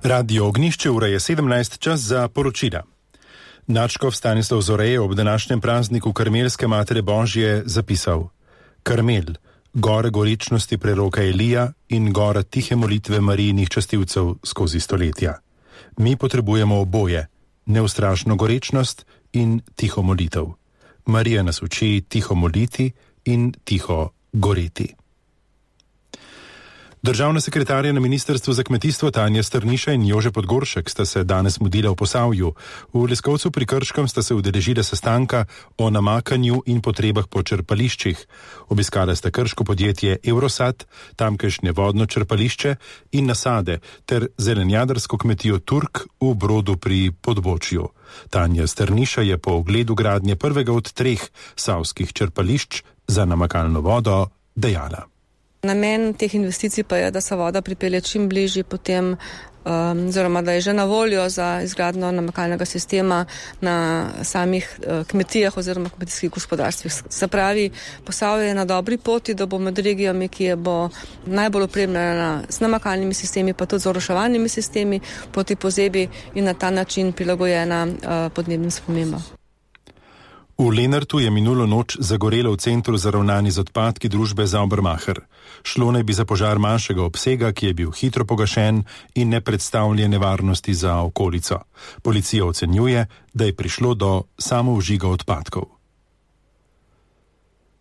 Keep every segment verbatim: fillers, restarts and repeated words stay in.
Radio Ognjišče, ura je sedemnajst, čas za poročila. Nadškof Stanislav Zore je ob današnjem prazniku Karmelske Matere Božje zapisal: Karmel, gora goričnosti preroka Elija in gora tihe molitve Marijinih častilcev skozi stoletja. Mi potrebujemo oboje, neustrašno gorečnost in tiho molitev. Marija nas uči tiho moliti in tiho goreti. Državna sekretarja na Ministrstvu za kmetijstvo Tanja Strniša in Jože Podgoršek sta se danes mudila v Posavju. V Leskovcu pri Krškem sta se udeležila sestanka o namakanju in potrebah po črpališčih. Obiskala sta krško podjetje Eurosat, tamkajšnje vodno črpališče in nasade ter zelenjadarsko kmetijo Turk v Brodu pri Podbočju. Tanja Strniša je po ogledu gradnje prvega od treh savskih črpališč za namakalno vodo dejala: Namen teh investicij pa je, da se voda pripelje čim bližje potem, um, oziroma da je že na voljo za izgradnjo namakalnega sistema na samih uh, kmetijah oziroma kmetijskih gospodarstvih. Se pravi, Posavje je na dobri poti, da bo med regijami, ki je bo najbolj opremljena z namakalnimi sistemi, pa tudi z oroševalnimi sistemi proti pozebi in na ta način prilagojena uh, podnebnim spremembam. V Lenartu je minulo noč zagorelo v centru za ravnanje z odpadki družbe Saubermacher. Šlo naj bi za požar manjšega obsega, ki je bil hitro pogašen in ne predstavlja nevarnosti za okolico. Policija ocenjuje, da je prišlo do samovžiga odpadkov.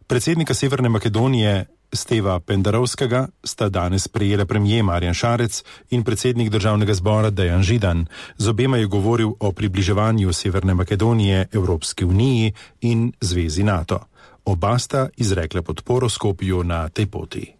Predsednika Severne Makedonije Steva Pendarovskega sta danes prejela premier Marjan Šarec in predsednik državnega zbora Dejan Židan. Z obema je govoril o približevanju Severne Makedonije Evropski uniji in zvezi NATO. Oba sta izrekla podporo Skopju na tej poti.